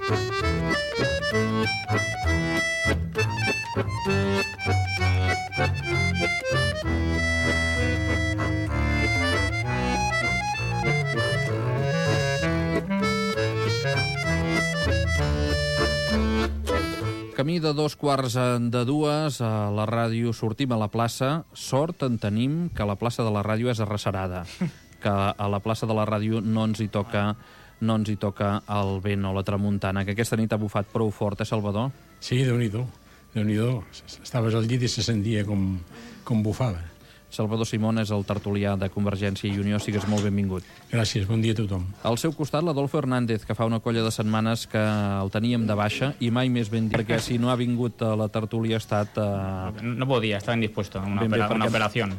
Camí de 2:15 a la ràdio, sortim a la plaça. Sort en tenim que la plaça de la ràdio és arrecerada, que a la plaça de la ràdio no ens hi toca el vent o la tramuntana, que aquesta nit ha bufat prou fort, Salvador? Sí, Déu-n'hi-do. Estaves al llit i se sentia com bufava. Salvador Simón és el tertulià de Convergència i Unió. Sigues molt benvingut. Gràcies, bon dia a tothom. Al seu costat, l'Adolfo Hernández, que fa una colla de setmanes que el teníem de baixa i mai més ben dit, perquè si no ha vingut a la tertúlia ha estat... No podía, estaba indispuesto a una operación.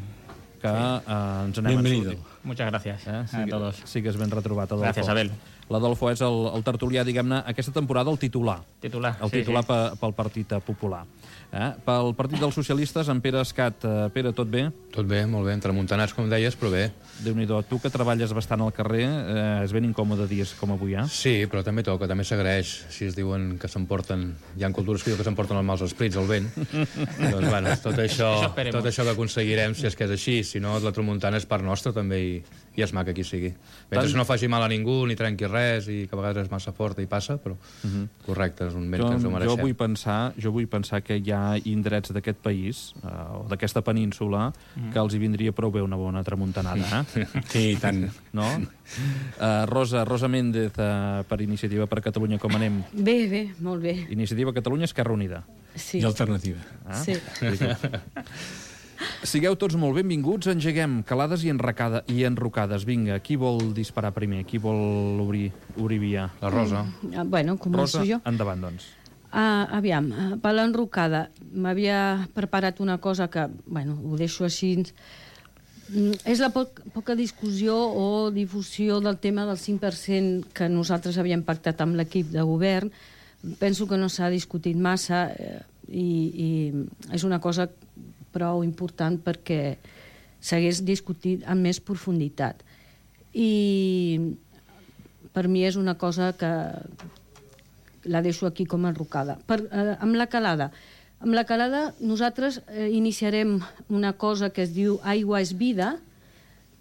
Que ens n'hem sortit. Muchas gracias a todos. Sigues ben retrobat, Adolfo. Gracias, Abel. L'Adolfo és el tertulià, diguem-ne, aquesta temporada el titular. Pel Partit Popular. Pel Partit dels Socialistes, en Pere Escat. Pere, tot bé? Tot bé, molt bé, entremuntanats, com deies, però bé. Déu-n'hi-do, tu que treballes bastant al carrer, és ben incòmode dies com avui, Sí, però també toca, també s'agraeix. Si es diuen que s'emporten... Hi ha cultures que diuen que s'emporten els mals esprits, el vent. Doncs, bueno, tot això que aconseguirem, si és que és així. Si no, la tramuntana és part nostra, també, i és maca qui sigui. Mentre no faci mal a ningú, ni trenqui res, i que a vegades és massa forta i passa, però correcte, és un vent que ens ho mereixem. Jo vull pensar que hi ha indrets d'aquest país, o d'aquesta península, que els hi vindria prou bé una bona tramuntanada, Sí, tant. No? Rosa Méndez, per Iniciativa per Catalunya, com anem? Bé, molt bé. Iniciativa Catalunya, Esquerra Unida. Sí. I Alternativa. Sí. Sigueu tots molt benvinguts, engeguem calades i enrocades. Vinga, qui vol disparar primer? Qui vol obrir via? La Rosa. Bueno, començo Rosa, jo. endavant, doncs. Aviam, per l'enrocada m'havia preparat una cosa que, bueno, ho deixo així. És la poca discussió o difusió del tema del 5% que nosaltres havíem pactat amb l'equip de govern. Penso que no s'ha discutit massa i és una cosa prou important perquè s'hagués discutit amb més profunditat. I per mi és una cosa que la deixo aquí com a enrocada. Amb la calada. Amb la calada nosaltres iniciarem una cosa que es diu Aigua és Vida,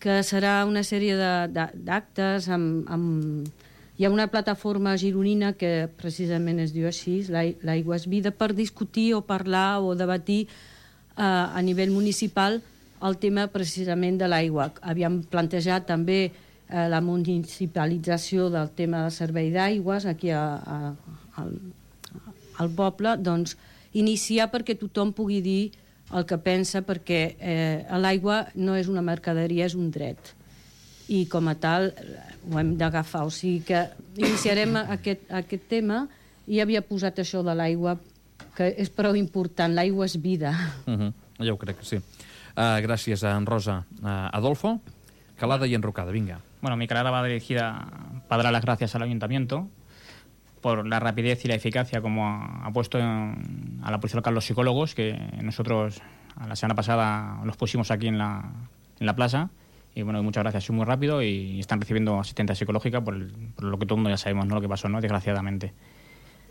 que serà una sèrie d'actes hi ha una plataforma gironina que precisament es diu així, l'Aigua és Vida, per discutir o parlar o debatir a nivell municipal el tema precisament de l'aigua. Havíem plantejat també la municipalització del tema del servei d'aigües aquí al poble, doncs iniciar perquè tothom pugui dir el que pensa, perquè l'aigua no és una mercaderia, és un dret. I com a tal ho hem d'agafar. O sigui que iniciarem aquest tema i havia posat això de l'aigua, que és prou important. L'aigua és vida. Jo crec que sí. Gràcies, en Rosa. Adolfo, calada y enrocada, venga. Bueno, mi calada va dirigida para dar las gracias al Ayuntamiento por la rapidez y la eficacia como ha puesto a la policía local los psicólogos, que nosotros la semana pasada los pusimos aquí en la plaza. Y bueno, muchas gracias, es muy rápido y están recibiendo asistencia psicológica por lo que todo el mundo ya sabemos, ¿no? Lo que pasó, ¿no? Desgraciadamente.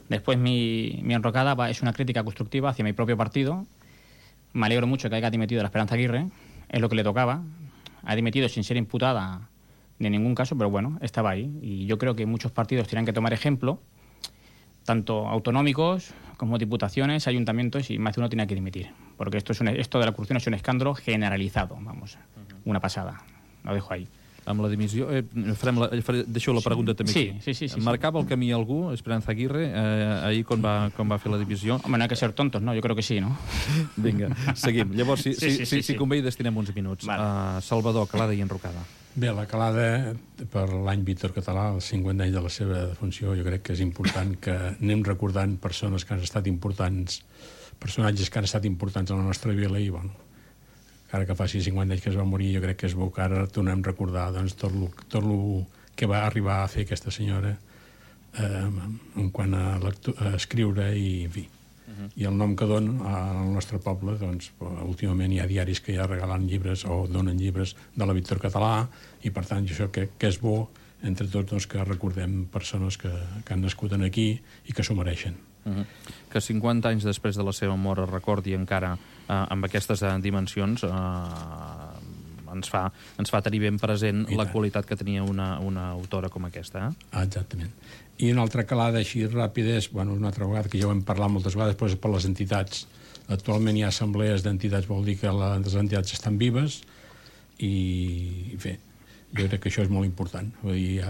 Después mi enrocada es una crítica constructiva hacia mi propio partido. Me alegro mucho que haya dimitido la Esperanza Aguirre, es lo que le tocaba. Ha dimitido sin ser imputada de ningún caso, pero bueno, estaba ahí. Y yo creo que muchos partidos tienen que tomar ejemplo, tanto autonómicos como diputaciones, ayuntamientos, y más de uno tiene que dimitir. Porque esto de la corrupción es un escàndol generalitzado, vamos, una passada. Lo dejo ahí. Amb la dimissió... Deixeu la pregunta també aquí. Sí. Marcava el camí algú, Esperanza Aguirre, ahir quan va fer la divisió? Home, no hay que ser tontos, ¿no? Yo creo que sí, ¿no? Vinga, seguim. Llavors, si convé, hi destinem uns minuts. Vale. Salvador, calada i enrocada. Bé, la calada, per l'any Víctor Català, el 50 anys de la seva defunció, jo crec que és important que anem recordant persones que han estat importants, personatges que han estat importants a la nostra vila i, bueno, ara que faci 50 anys que es va morir, jo crec que és bo que ara tornem a recordar doncs, tot el que va arribar a fer aquesta senyora en quant a escriure i, en fi, i el nom que dona al nostre poble, doncs, últimament hi ha diaris que ja regalen llibres o donen llibres de la Víctor Català, i per tant això que és bo entre tots doncs, que recordem persones que han nascut aquí i que s'ho mereixen. Que 50 anys després de la seva mort es recordi encara amb aquestes dimensions ens fa tenir ben present la qualitat que tenia una autora com aquesta. Exactament. I una altra calada així ràpida és, una altra vegada, que ja ho hem parlat moltes vegades, però és per les entitats. Actualment hi ha assemblees d'entitats, vol dir que les entitats estan vives i bé, jo crec que això és molt important. Vull dir,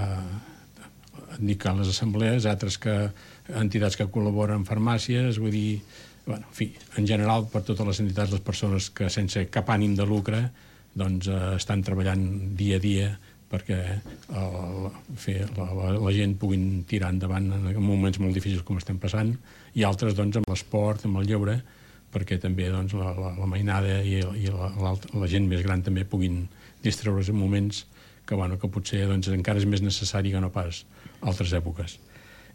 dic que les assemblees, altres entitats que col·laboren amb farmàcies, vull dir, en fi, en general, per totes les entitats, les persones que sense cap ànim de lucre doncs estan treballant dia a dia perquè la gent puguin tirar endavant en moments molt difícils com estem passant, i altres doncs amb l'esport, amb el lleure, perquè també doncs, la mainada i la gent més gran també puguin distreure's en moments que potser doncs, encara és més necessari que no pas altres èpoques.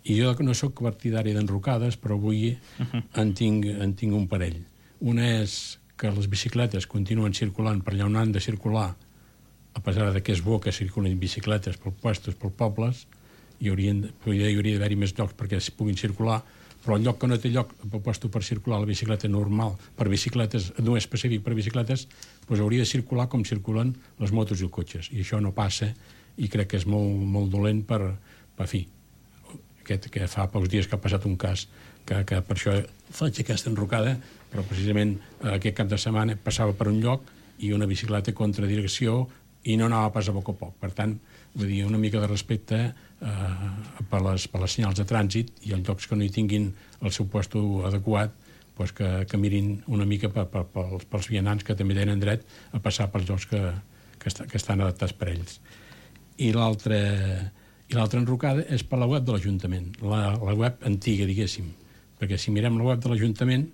I jo no sóc partidari d'enrocades, però avui en tinc un parell. Una és que les bicicletes continuen circulant per allà on han de circular, a pesar que és bo que circulin bicicletes pels puestos, pels pobles, hi hauria d'haver-hi més llocs perquè es puguin circular, però el lloc que no té lloc pel puesto per circular la bicicleta normal, per bicicletes, no és específic per bicicletes, doncs hauria de circular com circulen les motos i els cotxes, i això no passa, i crec que és molt, molt dolent per fi, que fa pocs dies que ha passat un cas que per això faig aquesta enrocada, però precisament aquest cap de setmana passava per un lloc i una bicicleta contra direcció i no anava pas a poc a poc. Per tant, vull dir, una mica de respecte per les senyals de trànsit, i els llocs que no hi tinguin el seu puesto adequat, doncs que mirin una mica pels vianants que també tenen dret a passar pels llocs que estan adaptats per ells. I l'altra enrocada és per la web de l'Ajuntament, la web antiga, diguéssim, perquè si mirem la web de l'Ajuntament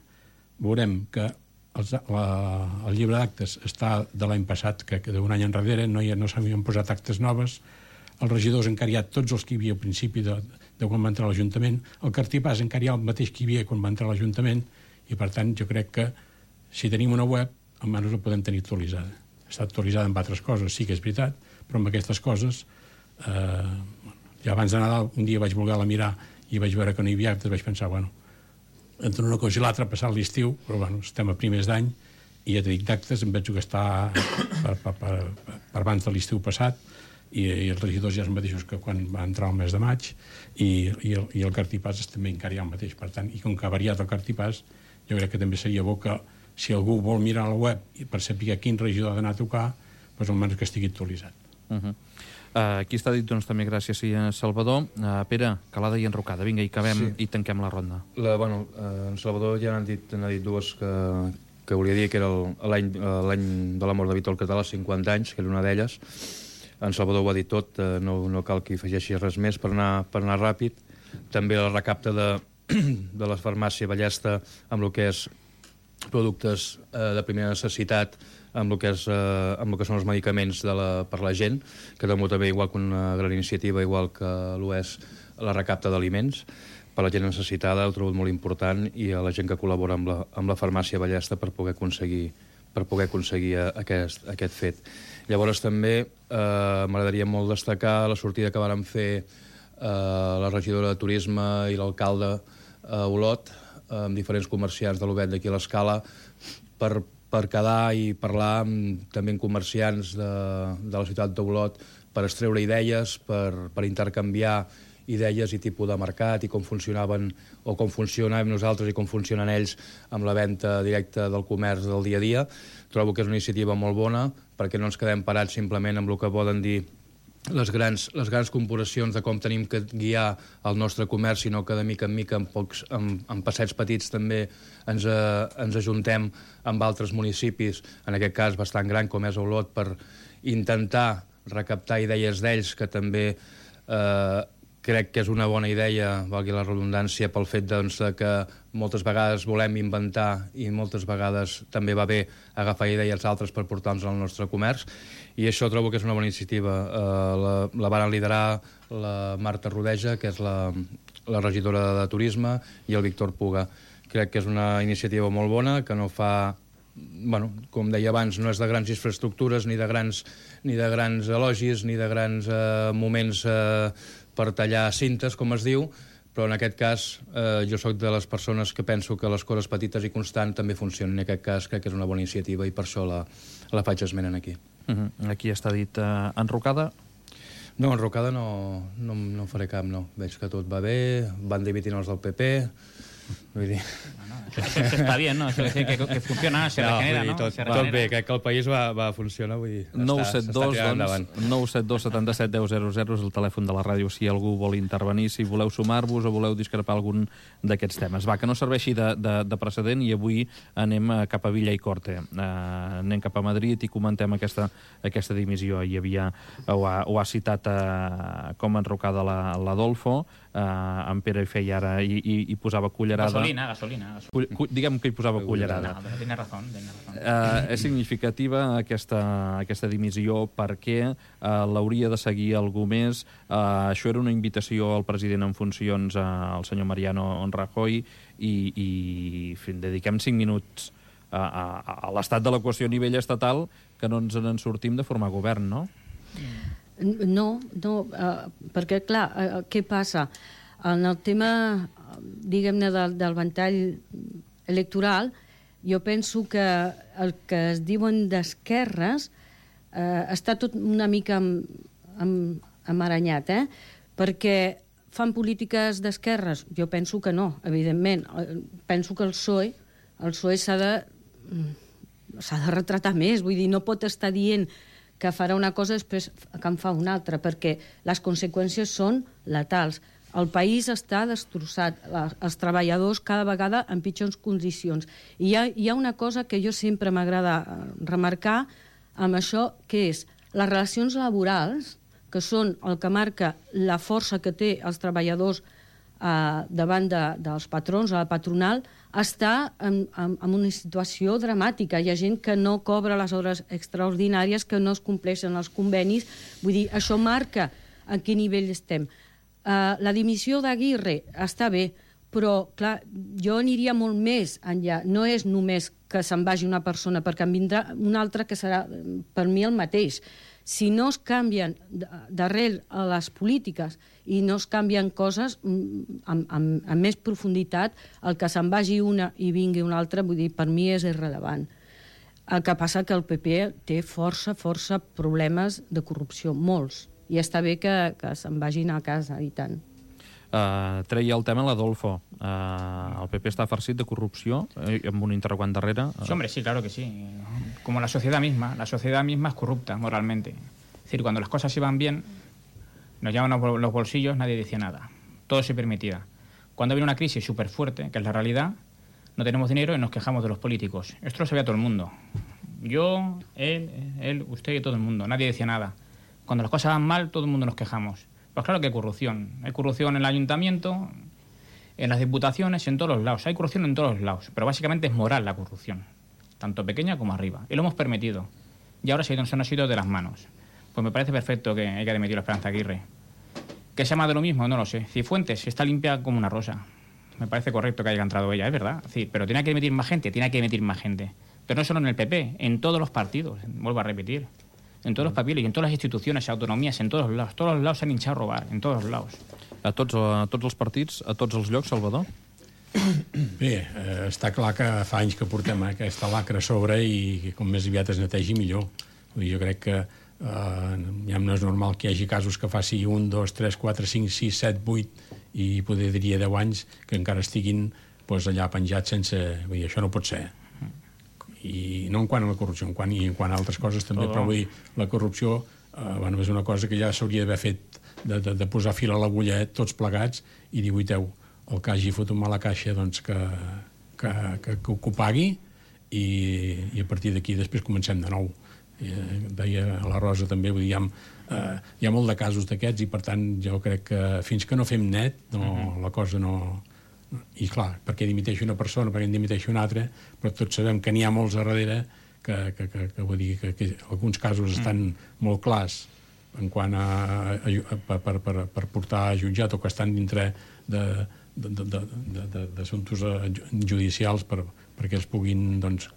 veurem que el llibre d'actes està de l'any passat, que d'un any enrere no s'havien posat actes noves, els regidors encara hi ha tots els que hi havia al principi de quan va entrar a l'Ajuntament, el cartipàs encara hi ha el mateix que hi havia quan va entrar a l'Ajuntament, i per tant jo crec que si tenim una web almenys la podem tenir actualitzada. Està actualitzada amb altres coses, sí que és veritat, però amb aquestes coses ja abans de Nadal un dia vaig voler-la mirar i vaig veure que no hi havia actes, vaig pensar, entre una cosa i l'altra ha passat l'estiu, però estem a primers d'any i ja t'he dit d'actes, em veig que està per abans de l'estiu passat, i els regidors ja són mateixos que quan va entrar el mes de maig, i el cartipàs també encara hi ha el mateix. Per tant, i com que ha variat el cartipàs, jo crec que també seria bo que si algú vol mirar la web i per saber quin regidor ha d'anar a tocar, doncs almenys que estigui actualitzat. Aquí està dit, doncs, també gràcies, Salvador. Pere, calada i enrocada. Vinga, i acabem i tanquem la ronda. En Salvador ja n'ha dit dues que volia dir, que era l'any de la mort de Víctor Català, 50 anys, que era una d'elles. En Salvador ho ha dit tot, no cal que hi afegeixi res més per anar ràpid. També la recapta de la farmàcia Ballesta amb el que és productes de primera necessitat, amb el que són els medicaments per la gent, que també igual que una gran iniciativa, igual que és la recapta d'aliments per la gent necessitada, ho trobo molt important, i a la gent que col·labora amb la farmàcia Ballesta per poder aconseguir aquest fet. Llavors també m'agradaria molt destacar la sortida que vàrem fer la regidora de Turisme i l'alcalde a Olot, amb diferents comerciants de l'Obet d'aquí a l'Escala, per quedar i parlar també amb comerciants de la ciutat d'Olot per extreure idees, per intercanviar idees i tipus de mercat i com funcionaven o com funcionàvem nosaltres i com funcionen ells amb la venda directa del comerç del dia a dia. Trobo que és una iniciativa molt bona perquè no ens quedem parats simplement amb el que poden dir les grans corporacions de com tenim que guiar el nostre comerç, sinó que de mica en mica, en passets petits també ens ajuntem amb altres municipis, en aquest cas bastant gran com és Olot, per intentar recaptar idees d'ells, que també crec que és una bona idea, valgui la redundància, pel fet que moltes vegades volem inventar i moltes vegades també va bé agafar idees altres per portar-nos al nostre comerç, i això trobo que és una bona iniciativa. La van liderar la Marta Rodeja, que és la regidora de Turisme, i el Víctor Puga. Crec que és una iniciativa molt bona, que no fa bueno, com deia abans, no és de grans infraestructures, ni de grans elogis, ni de grans moments per tallar cintes, com es diu, però en aquest cas jo sóc de les persones que penso que les coses petites i constants també funcionen. En aquest cas crec que és una bona iniciativa i per això la faig esment aquí. Aquí està dit enrocada? No, enrocada no faré cap, no. Veig que tot va bé, van dimitint els del PP, vull dir... Eso está bien, ¿no? Eso decir que funciona, se regenera, ¿no? Tot bé, crec que el país va funcionar, vull dir, 972 77 10 00 és el telèfon de la ràdio si algú vol intervenir, si voleu sumar-vos o voleu discrepar algun d'aquests temes. Va, que no serveixi de precedent, i avui anem cap a Villa i Corte. Anem cap a Madrid i comentem aquesta dimissió. Hi havia, ho ha citat com enrocada l'Adolfo, en Pere hi feia ara i posava cullerada. Gasolina. Diguem que hi posava cullerada. No, tiene razón. És significativa aquesta dimissió perquè l'hauria de seguir algú més. Això era una invitació al president en funcions, al senyor Mariano Rajoy, i dediquem 5 minuts a l'estat de l'equació a nivell estatal, que no ens en sortim de formar govern, no? No, perquè, clar, què passa? En el tema, diguem-ne, del ventall electoral, jo penso que el que es diuen d'esquerres està tot una mica amaranyat, perquè fan polítiques d'esquerres? Jo penso que no, evidentment. Penso que el PSOE s'ha de retratar més, vull dir, no pot estar dient que farà una cosa després que en fa una altra, perquè les conseqüències són letals. El país està destrossat, els treballadors cada vegada en pitjors condicions. I hi ha una cosa que jo sempre m'agrada remarcar amb això, que és les relacions laborals, que són el que marca la força que té els treballadors davant dels patrons, a la patronal, està en una situació dramàtica. Hi ha gent que no cobra les hores extraordinàries, que no es compleixen els convenis. Vull dir, això marca en quin nivell estem. La dimissió d'Aguirre està bé, però, clar, jo aniria molt més enllà. No és només que se'n vagi una persona, perquè en vindrà una altra que serà, per mi, el mateix. Si no es canvien d'arrel a les polítiques i no es canvien coses amb més profunditat, el que se'n vagi una i vingui una altra, vull dir, per mi és irrellevant. El que passa que el PP té força problemes de corrupció, molts. I està bé que se'n vagin a casa, i tant. Treia el tema l'Adolfo. El PP està farcit de corrupció, amb un interrogant darrere. Sí, hombre, sí, claro que sí. Como la sociedad misma es corrupta moralmente. Es decir, cuando las cosas iban bien, nos llaman los bolsillos, nadie decía nada. Todo se permitía. Cuando viene una crisis súper fuerte, que es la realidad, no tenemos dinero y nos quejamos de los políticos. Esto lo sabía todo el mundo. Yo, él, usted y todo el mundo. Nadie decía nada. Cuando las cosas van mal, todo el mundo nos quejamos. Pues claro que hay corrupción. Hay corrupción en el ayuntamiento, en las diputaciones, en todos los lados. Hay corrupción en todos los lados. Pero básicamente es moral la corrupción, tanto pequeña como arriba. Y lo hemos permitido. Y ahora se nos ha ido de las manos. Pues me parece perfecto que haya dimitido la Esperanza Aguirre. ¿Que sea más de lo mismo? No lo sé. Cifuentes está limpia como una rosa. Me parece correcto que haya entrado ella, es verdad. Sí, pero tiene que dimitir más gente, Pero no solo en el PP, en todos los partidos, vuelvo a repetir. En todos los papeles y en todas las instituciones, autonomías, en todos los lados. Todos los lados s'han hinchado a robar, en todos los lados. A tots els partits, a tots els llocs, Salvador? Bé, està clar que fa anys que portem aquesta lacra a sobre i com més aviat es netegi millor. Jo crec que ja no és normal que hi hagi casos que faci 1, 2, 3, 4, 5, 6, 7, 8 i poder diria 10 anys que encara estiguin allà penjats sense... Vull dir, això no pot ser. I no en quant a la corrupció, en quant a altres coses també, però vull dir, la corrupció és una cosa que ja s'hauria d'haver fet de posar fil a l'agulla tots plegats i dir, guaiteu, el que hagi fotut mal a caixa doncs que ho pagui i a partir d'aquí després comencem de nou. Deia la Rosa també, vull dir, hi ha molt de casos d'aquests i per tant jo crec que fins que no fem net la cosa no... I clar, perquè dimiteixi una persona, perquè en dimiteixi una altra, però tots sabem que n'hi ha molts a darrere que vull dir que alguns casos estan molt clars en quant a per portar a jutjat o que estan dintre d'assumptes judicials perquè es puguin doncs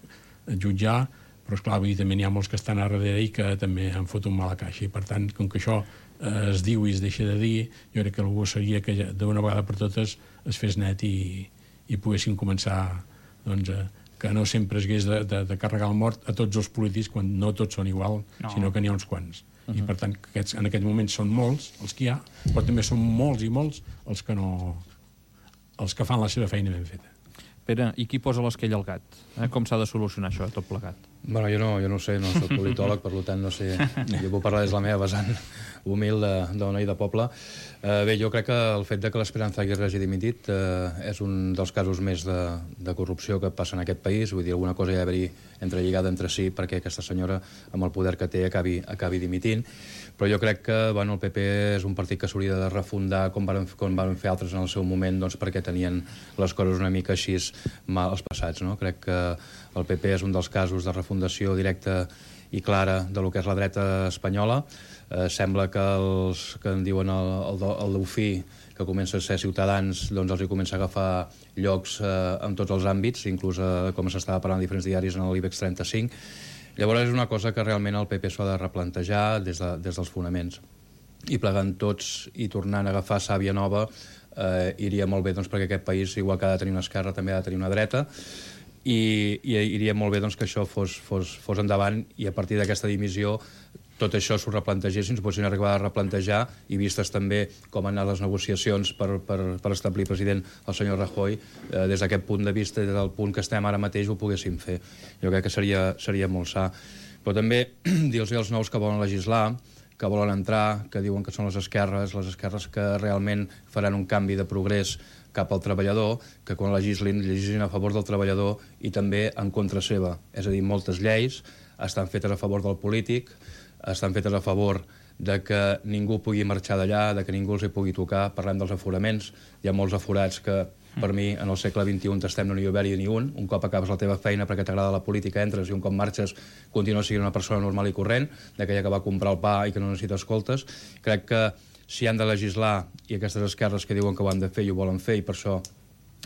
jutjar, però esclar, també n'hi ha molts que estan a darrere i que també han fotut mala caixa, i per tant, com que això es diu i es deixa de dir, jo crec que el bo seria que d'una vegada per totes es fes net i poguessin començar, doncs, que no sempre es hagués de carregar el mort a tots els polítics, quan no tots són igual, sinó que n'hi ha uns quants. I per tant, en aquest moment són molts els que hi ha, però també són molts i molts els que fan la seva feina ben feta. Pere, i qui posa l'esquella al gat? Com s'ha de solucionar això, tot plegat? Bueno, jo no ho sé, no soc politòleg, per tant no sé, jo puc parlar des de la meva vessant humil de noi de poble. Bé, jo crec que el fet de que l'Esperanza Aguirre hagi dimitit és un dels casos més de corrupció que passa en aquest país, vull dir, alguna cosa hi ha d'haver-hi entrelligada entre si perquè aquesta senyora, amb el poder que té, acabi dimitint. Però jo crec que el PP és un partit que s'hauria de refundar com van fer altres en el seu moment, doncs perquè tenien les coses una mica així mal als passats, no? Crec que el PP és un dels casos de refundació directa i clara de lo que és la dreta espanyola. Sembla que els que en diuen el Daupí, que comença a ser ciutadans, doncs els hi comença a agafar llocs en tots els àmbits, inclús com s'estava parlant en diferents diaris en l'IBEX 35. Llavors és una cosa que realment el PP s'ha de replantejar des dels fonaments. I plegant tots i tornant a agafar sàvia nova iria molt bé, doncs, perquè aquest país, igual que ha de tenir una esquerra, també ha de tenir una dreta, i iria molt bé doncs, que això fos endavant, i a partir d'aquesta dimissió tot això s'ho replantegessin, s'ho poguessin arribar a replantejar, i vistes també com han anat les negociacions per establir president el senyor Rajoy, des d'aquest punt de vista, des del punt que estem ara mateix, ho poguéssim fer. Jo crec que seria molt sa. Però també dir-los als nous que volen legislar, que volen entrar, que diuen que són les esquerres que realment faran un canvi de progrés cap al treballador, que quan legislin a favor del treballador i també en contra seva. És a dir, moltes lleis estan fetes a favor del polític, estan fetes a favor de que ningú pugui marxar d'allà, de que ningú els hi pugui tocar. Parlem dels aforaments. Hi ha molts aforats que, per mi, en el segle XXI t'estem no n'hi haver-hi ni un. Un cop acabes la teva feina perquè t'agrada la política, entres, i un cop marxes continues sent una persona normal i corrent, d'aquella que va comprar el pa i que no necessita escoltes. Crec que si han de legislar, i aquestes esquerres que diuen que ho han de fer i ho volen fer, i per això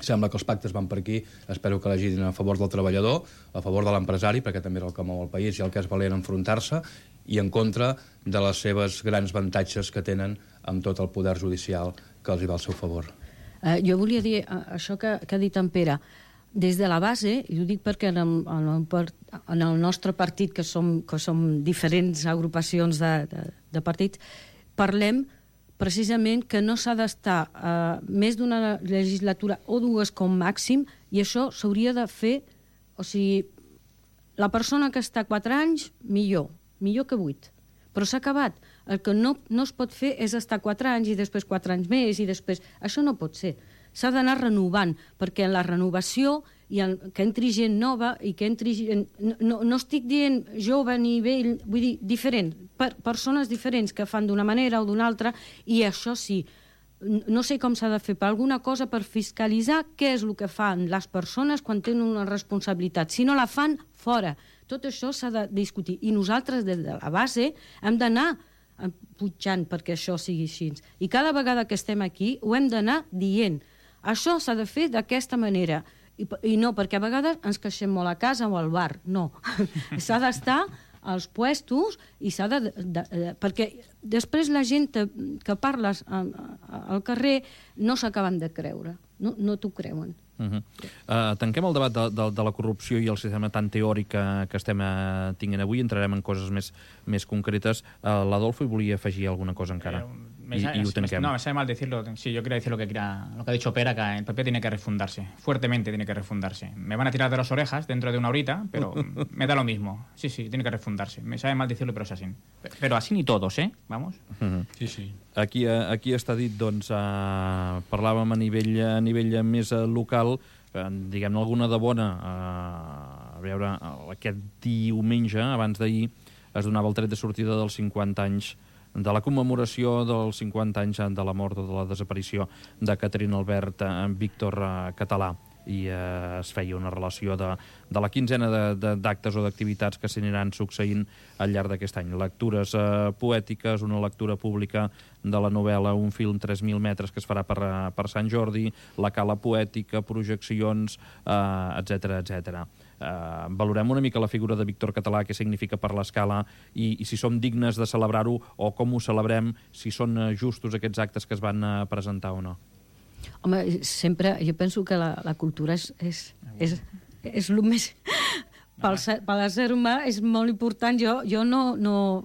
sembla que els pactes van per aquí, espero que legislin a favor del treballador, a favor de l'empresari, perquè també és el que mou el país i el que és valent enfrontar-se, i en contra de les seves grans avantatges que tenen amb tot el poder judicial que els hi va al seu favor. Jo volia dir això que ha dit en Pere. Des de la base, i ho dic perquè en el nostre partit, que som diferents agrupacions de partits, parlem precisament que no s'ha d'estar més d'una legislatura o dues com màxim, i això s'hauria de fer, o sigui, la persona que està 4 anys, millor que 8. Però s'ha acabat. El que no es pot fer és estar 4 anys i després 4 anys més i després... Això no pot ser. S'ha d'anar renovant, perquè en la renovació que entri gent nova i que entri gent... No estic dient jove ni vell, vull dir diferent, persones diferents que fan d'una manera o d'una altra, i això sí, no sé com s'ha de fer, per alguna cosa per fiscalitzar què és el que fan les persones quan tenen una responsabilitat. Si no la fan, fora. Tot això s'ha de discutir. I nosaltres, des de la base, hem d'anar pujant perquè això sigui així. I cada vegada que estem aquí ho hem d'anar dient. Això s'ha de fer d'aquesta manera. I no perquè a vegades ens queixem molt a casa o al bar. No. S'ha d'estar als puestos i s'ha de... Perquè després la gent que parles al carrer no s'acaben de creure. No t'ho creuen. Tanquem el debat de la corrupció i el sistema tan teòric que estem tinguent avui. Entrarem en coses més concretes. L'Adolfo hi volia afegir alguna cosa encara. Y lo tanquem. No, me sabe mal decirlo. Sí, yo quería decir lo que ha dicho Pera, que el PP tiene que refundarse. Fuertemente tiene que refundarse. Me van a tirar de las orejas dentro de una horita, pero me da lo mismo. Sí, tiene que refundarse. Me sabe mal decirlo, però és així. Però així ni todos, Vamos. Sí. Aquí està dit, doncs, parlàvem a nivell més local, diguem-ne alguna de bona. A veure, aquest diumenge, abans d'ahir, es donava el tret de sortida dels 50 anys de la commemoració dels 50 anys de la mort o de la desaparició de Catherine Albert Víctor Català. es feia una relació de la quinzena d'actes o d'activitats que s'aniran succeint al llarg d'aquest any. Lectures poètiques, una lectura pública de la novel·la Un film 3.000 metres que es farà per Sant Jordi, la cala poètica, projeccions, etc. Valorem una mica la figura de Víctor Català, què significa per l'Escala i si som dignes de celebrar-ho o com ho celebrem, si són justos aquests actes que es van presentar o no. Home, sempre, jo penso que la cultura és el més... Per l'ésser humà és molt important. Jo no...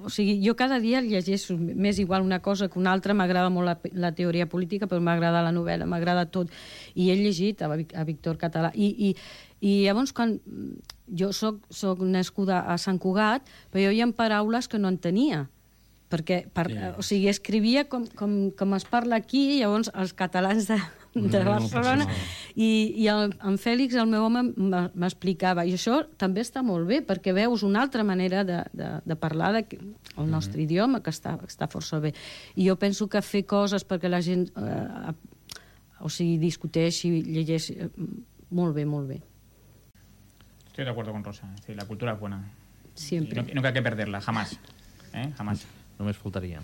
O sigui, jo cada dia llegeixo més igual una cosa que una altra. M'agrada molt la teoria política, però m'agrada la novel·la, m'agrada tot. I he llegit a Víctor Català. I llavors, quan jo soc nascuda a Sant Cugat, però hi ha paraules que no entenia. Perquè, o sigui, escrivia com es parla aquí, llavors els catalans de Barcelona, i en Fèlix, el meu home, m'explicava. I això també està molt bé, perquè veus una altra manera de parlar el nostre idioma, que està força bé. I jo penso que fer coses perquè la gent discuteixi, llegeixi, molt bé, molt bé. Estoy de acuerdo con Rosa. La cultura es buena. Siempre. Y nunca hay que perderla, jamás. Jamás. Només faltaria.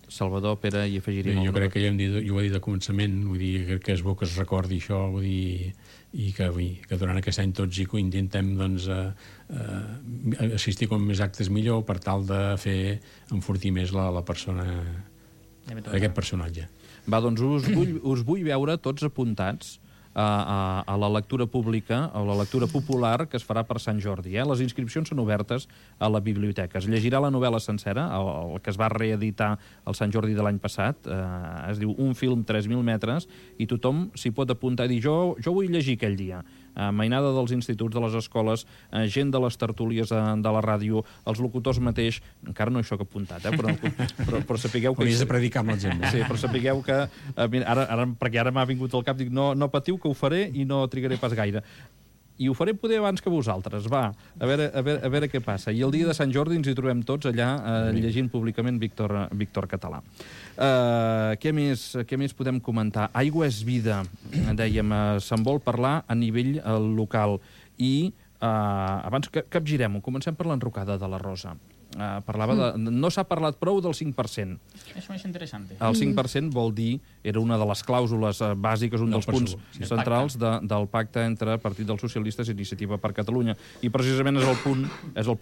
Salvador, Pere, hi afegiríem... Jo crec que jo ho he dit al començament, vull dir que és bo que es recordi això, vull dir, i que durant aquest any tots hi intentem doncs, assistir com més actes millor per tal de fer enfortir més la persona, aquest personatge. Va, doncs us vull veure tots apuntats a la lectura pública o la lectura popular que es farà per Sant Jordi. Les inscripcions són obertes a la biblioteca. Es llegirà la novel·la sencera, el que es va reeditar el Sant Jordi de l'any passat. Es diu Un film 3.000 metres i tothom s'hi pot apuntar i dir jo vull llegir aquell dia. Mainada dels instituts, de les escoles, gent de les tertúlies de la ràdio, els locutors mateix, encara no hi soc apuntat, però sapigueu que... Hauries de predicar amb la gent. Sí, però sapigueu que... Perquè ara m'ha vingut al cap, dic, no patiu que ho faré i no trigaré pas gaire. I ho faré poder abans que vosaltres, va, a veure què passa. I el dia de Sant Jordi ens hi trobem tots allà llegint públicament Víctor Català. Què més podem comentar? Aigua és vida, dèiem, se'n vol parlar a nivell local. I abans que capgirem-ho, comencem per l'enrocada de la Rosa. No s'ha parlat prou del 5%. Això és interessant. El 5% vol dir, era una de les clàusules bàsiques, un dels punts centrals del pacte entre Partit dels Socialistes i Iniciativa per Catalunya. I precisament és el punt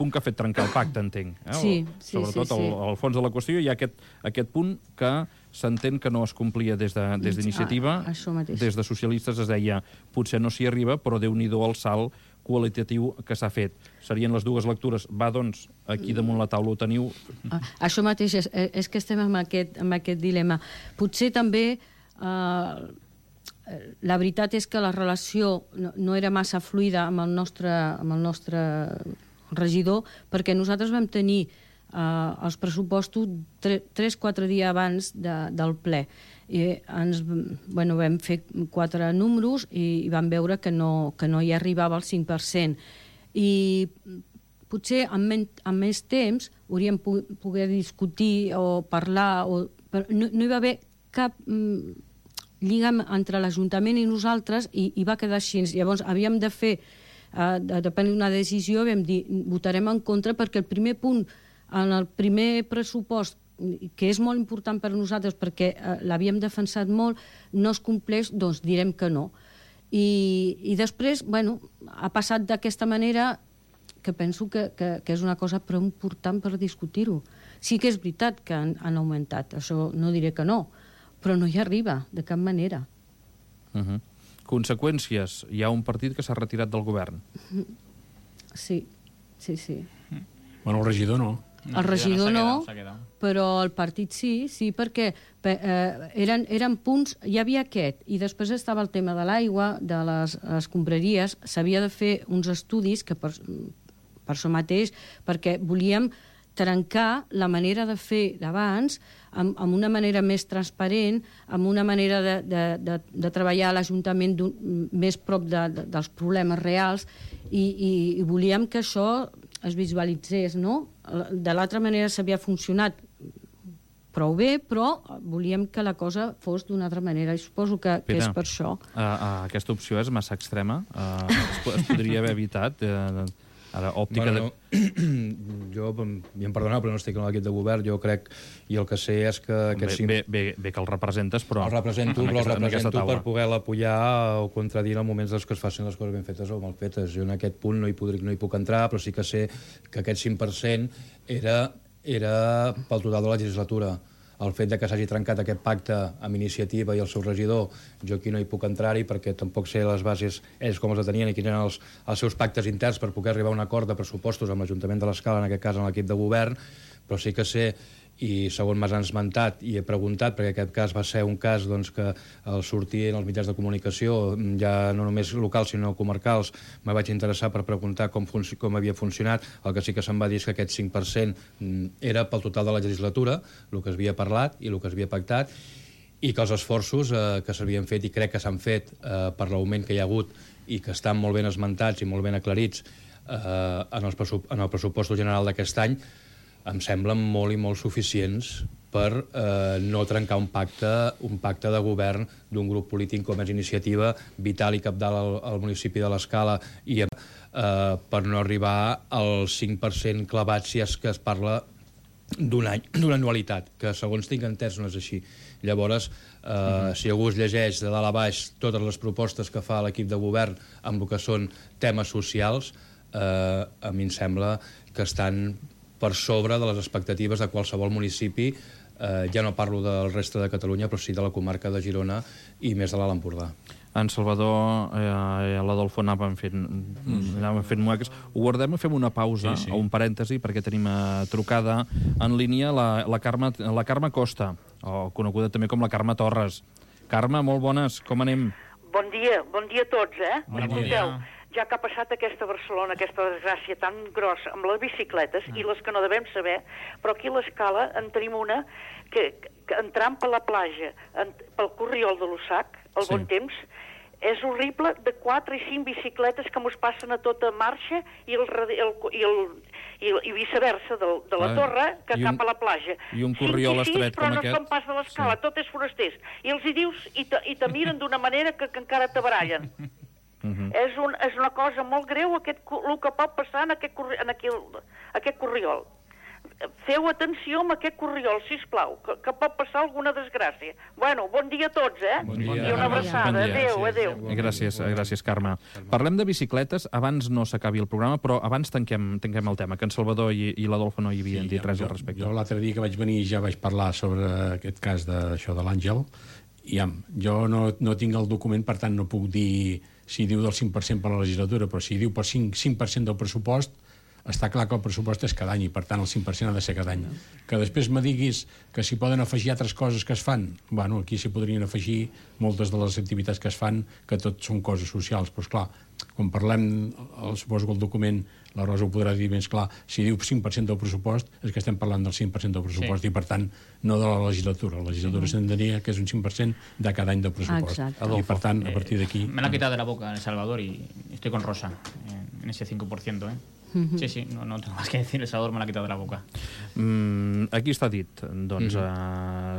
que ha fet trencar el pacte, entenc. Sobretot al fons de la qüestió hi ha aquest punt que s'entén que no es complia des d'Iniciativa. Des de Socialistes es deia potser no s'hi arriba, però Déu-n'hi-do el salt qualitatiu que s'ha fet. Serien les dues lectures. Va, doncs, aquí damunt la taula ho teniu. Això mateix, és que estem amb aquest dilema. Potser també la veritat és que la relació no era massa fluida amb el nostre regidor, perquè nosaltres vam tenir els pressupostos 3-4 dies abans del ple. I vam fer 4 números i vam veure que no hi arribava al 5%. I potser amb més temps hauríem poder discutir o parlar, però no hi va haver cap lligam entre l'Ajuntament i nosaltres i va quedar així. Llavors havíem de prendre una decisió, vam dir votarem en contra perquè el primer punt en el primer pressupost, que és molt important per a nosaltres perquè l'havíem defensat molt, no es compleix, doncs direm que no. I després, ha passat d'aquesta manera que penso que és una cosa prou important per discutir-ho. Sí que és veritat que han augmentat, això no diré que no, però no hi arriba, de cap manera. Conseqüències. Hi ha un partit que s'ha retirat del govern. Sí. Bueno, el regidor no. El regidor no, però el partit sí, perquè eren punts, hi havia aquest, i després estava el tema de l'aigua, de les escombraries, s'havia de fer uns estudis que per això mateix, perquè volíem trencar la manera de fer d'abans amb una manera més transparent, amb una manera de treballar a l'Ajuntament més prop dels problemes reals i volíem que això es visualitzés, no? De l'altra manera s'havia funcionat, prou bé, però volíem que la cosa fos d'una altra manera, i suposo que és per això. Aquesta opció és massa extrema? Es podria haver evitat? Ara, òptica... Bueno, jo, i em perdoneu, però no estic en l'equip de govern, jo crec, i el que sé és que... Bé que el representes, però... El represento per poder-la apoyar o contradir en moments que es facin les coses ben fetes o mal fetes. Jo en aquest punt no hi puc entrar, però sí que sé que aquest 5% era pel total de la legislatura. El fet de que s'hagi trencat aquest pacte amb Iniciativa i el seu regidor, jo aquí no hi puc entrar-hi perquè tampoc sé les bases ells com els tenien i quins eren els seus pactes interns per poder arribar a un acord de pressupostos amb l'Ajuntament de l'Escala, en aquest cas amb l'equip de govern, però sí que sé, i segons m'has esmentat i he preguntat, perquè aquest cas va ser un cas doncs, que al sortir en els mitjans de comunicació, ja no només locals sinó comarcals, me vaig interessar per preguntar com havia funcionat. El que sí que se'm va dir és que aquest 5% era pel total de la legislatura, el que s'havia parlat i el que s'havia pactat, i que els esforços que s'havien fet, i crec que s'han fet per l'augment que hi ha hagut i que estan molt ben esmentats i molt ben aclarits en el pressupost general d'aquest any, em semblen molt i molt suficients per no trencar un pacte de govern d'un grup polític com és Iniciativa, vital i cabdal al municipi de l'Escala, i per no arribar al 5% clavat si és que es parla d'un any, d'una anualitat, que segons tinc entès no és així. Llavors, si algú es llegeix de dalt a baix totes les propostes que fa l'equip de govern amb el que són temes socials, a mi em sembla que estan per sobre de les expectatives de qualsevol municipi, ja no parlo del reste de Catalunya, però sí de la comarca de Girona i més de l'Alt Empordà. En Salvador i l'Adolfo anàvem fent mueques. Ho guardem, fem una pausa, o un parèntesi, perquè tenim trucada en línia la Carme Costa, o coneguda també com la Carme Torres. Carme, molt bones, com anem? Bon dia a tots, Bon dia. Ja que ha passat aquesta Barcelona, aquesta desgràcia tan grossa amb les bicicletes i les que no devem saber, però aquí a l'Escala en tenim una que entrant per la platja, pel Corriol de l'Ussac, al bon temps, és horrible, de 4 i 5 bicicletes que mos passen a tota marxa i viceversa, de la torre que cap a la platja. I un Corriol estret com aquest. Però no són pas de l'Escala, tot és forasters. I els hi dius i te miren d'una manera que encara te barallen. És una cosa molt greu el que pot passar en aquest Corriol. Feu atenció amb aquest Corriol, sisplau, que pot passar alguna desgràcia. Bueno, bon dia a tots, Bon dia. I una abraçada. Adéu. Gràcies, Carme. Parlem de bicicletes, abans no s'acabi el programa, però abans tanquem el tema, que en Salvador i l'Adolfo no hi havien dit res al respecte. Jo l'altre dia que vaig venir ja vaig parlar sobre aquest cas d'això de l'Àngel, i jo no tinc el document, per tant no puc dir si diu del 5% per la legislatura, però si diu per 5% del pressupost, està clar que el pressupost és cada any i per tant el 5% ha de ser cada any. Que després me diguis que s'hi poden afegir altres coses que es fan, bueno, aquí s'hi podrien afegir moltes de les activitats que es fan, que tot són coses socials, però esclar, quan parlem, suposo que el document, la Rosa ho podrà dir més clar, si diu 5% del pressupost és que estem parlant del 5% del pressupost i per tant no de la legislatura. La legislatura s'entendria que és un 5% de cada any del pressupost. Exacte. I per tant, a partir d'aquí... Me l'ha quitat de la boca El Salvador y estoy con Rosa en ese 5%, Sí, no tengo más que decir, El Salvador me l'ha quitat de la boca. Aquí està dit. Doncs,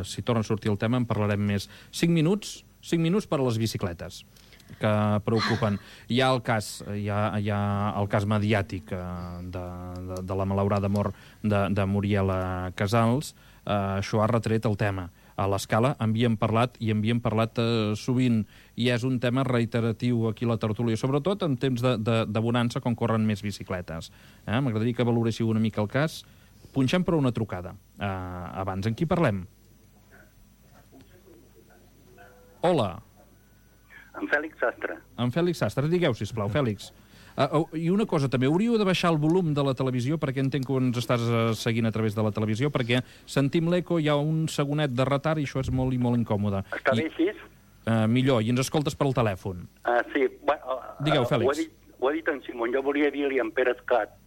si torna a sortir el tema, en parlarem més. 5 minuts per a les bicicletes, que preocupen. Hi ha el cas mediàtic de la malaurada mort de Muriela Casals. Això ha retret el tema. A l'Escala en havíem parlat sovint, i és un tema reiteratiu aquí a la tertúlia, sobretot en temps de bonança, quan corren més bicicletes. M'agradaria que valoréssiu una mica el cas. Punxem per una trucada. Abans, en qui parlem? Hola. En Fèlix Sastre. En Fèlix Sastre. Digueu, sisplau, Fèlix. I una cosa, també hauríeu de baixar el volum de la televisió, perquè entenc que ens estàs seguint a través de la televisió, perquè sentim l'eco, hi ha un segonet de retard i això és molt i molt incòmode. Està bé així? Millor, i ens escoltes per el telèfon. Sí. Digueu, Fèlix. Ho ha dit en Simón. Jo volia dir-li a en Pere Escat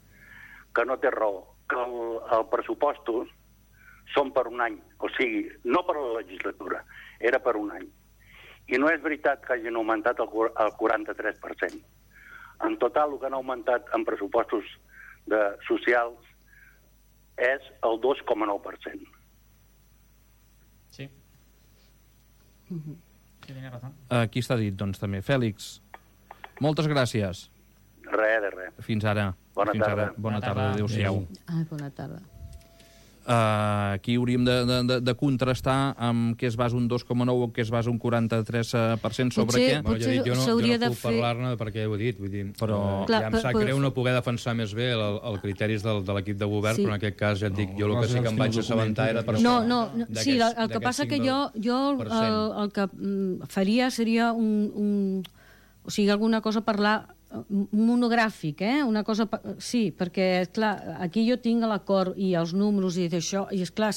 que no té raó, que els pressupostos són per un any, o sigui, no per la legislatura, era per un any. I no és veritat que hagin augmentat el 43%. En total, el que han augmentat en pressupostos socials és el 2,9%. Sí, tenia raó. Aquí està dit, doncs, també. Fèlix, moltes gràcies. Res de res. Fins ara. Bona tarda. Bona tarda. Adéu-siau. Bona tarda. Aquí hauríem de contrastar amb què es basa un 2,9 o què es basa un 43% sobre què. Bueno, ja dic, jo no puc parlar-ne perquè ho he dit, vull dir, però ja em sap greu no poder defensar més bé els criteris de l'equip de govern, però en aquest cas ja et dic, jo el que sí que em vaig assabentar era per això. Sí, el que passa que jo el que faria seria o sigui, alguna cosa parlar monogràfic, una cosa... Sí, perquè, clar, aquí jo tinc l'acord i els números i d'això, i esclar,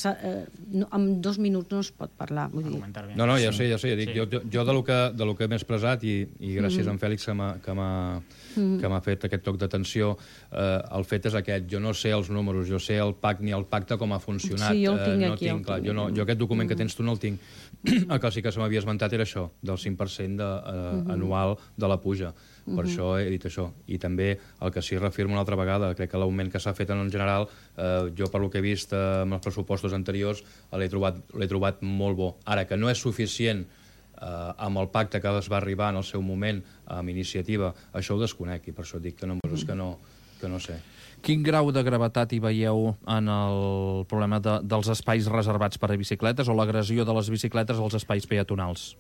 en 2 minuts no es pot parlar, vull dir... No, ja sé, jo dic, jo de lo que m'he expressat, i gràcies a en Fèlix que m'ha fet aquest toc d'atenció, el fet és aquest, jo no sé els números, jo sé el PAC ni el pacte com ha funcionat. Sí, jo el tinc aquí. Jo aquest document que tens tu no el tinc. El que sí que se m'havia esmentat era això, del 5% anual de la puja. Per això he dit això. I també el que sí reafirmo una altra vegada, crec que l'augment que s'ha fet en general, jo per lo que he vist amb els pressupostos anteriors, l'he trobat molt bo. Ara, que no és suficient amb el pacte que es va arribar en el seu moment amb iniciativa, això ho desconec, i per això dic que no sé. Quin grau de gravetat hi veieu en el problema dels espais reservats per a bicicletes o l'agressió de les bicicletes als espais peatonals?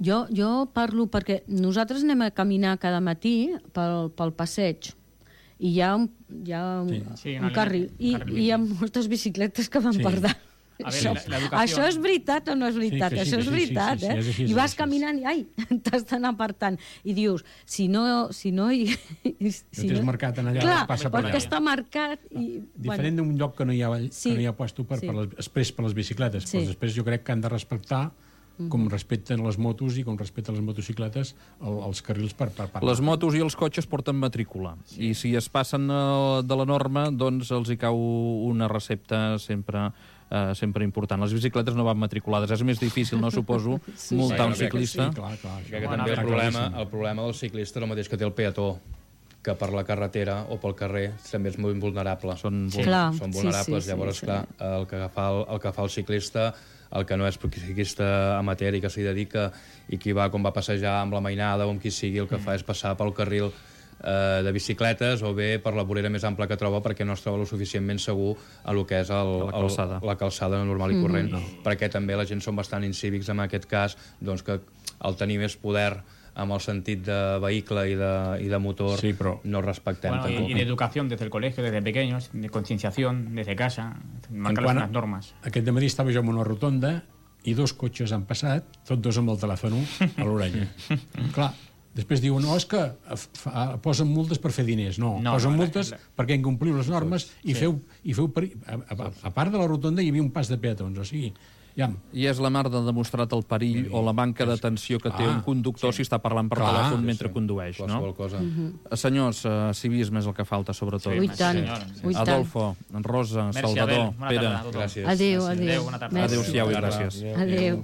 Jo parlo perquè nosaltres anem a caminar cada matí pel passeig i hi ha un carril i hi ha moltes bicicletes que van per dalt. Això és veritat o no és veritat? Això és veritat, eh? I vas caminant i, ai, t'has d'anar apartant. I dius, si no hi... tens marcat en allà, clar, passa per allà. perquè està marcat i... Diferent d'un lloc que no hi ha puesto per les bicicletes. Però després jo crec que han de respectar com respecten les motos i com respecten les motocicletes els carrils per parlar. Les motos i els cotxes porten matrícula i si es passen de la norma doncs els hi cau una recepta sempre important. Les bicicletes no van matriculades. És més difícil, no suposo, multar un ciclista. Que també el problema del ciclista és el mateix que té el peató, que per la carretera o pel carrer també és molt vulnerable. Són vulnerables. Llavors, clar, el que fa el ciclista, el que no és ciclista amateur i que s'hi dedica i qui va, com va passejar amb la mainada o amb qui sigui, el que fa és passar pel carril de bicicletes o bé per la vorera més ampla que troba perquè no es troba lo suficientment segur a lo que és la calçada normal i corrent, perquè també la gent són bastant incívics en aquest cas, doncs que el tenir més poder amb el sentit de vehicle i de motor no respectem. Y de educación desde el colegio, desde pequeños, de concienciación desde casa, marcar les normes. Aquest dematí estava jo en una rotonda i 2 cotxes han passat, tots 2 amb el telèfon a l'orella. Clar, després diuen, no, és que posen multes per fer diners. No, posen multes perquè incompliu les normes i feu... A part de la rotonda hi havia un pas de peatons, o sigui... I és la mar de demostrat el perill o la manca d'atenció que té un conductor si està parlant per telèfon mentre condueix, no? Senyors, civisme és el que falta, sobretot. I tant. Adolfo, Rosa, Salvador, Pere. Adéu. Adéu-siau i gràcies. Adéu.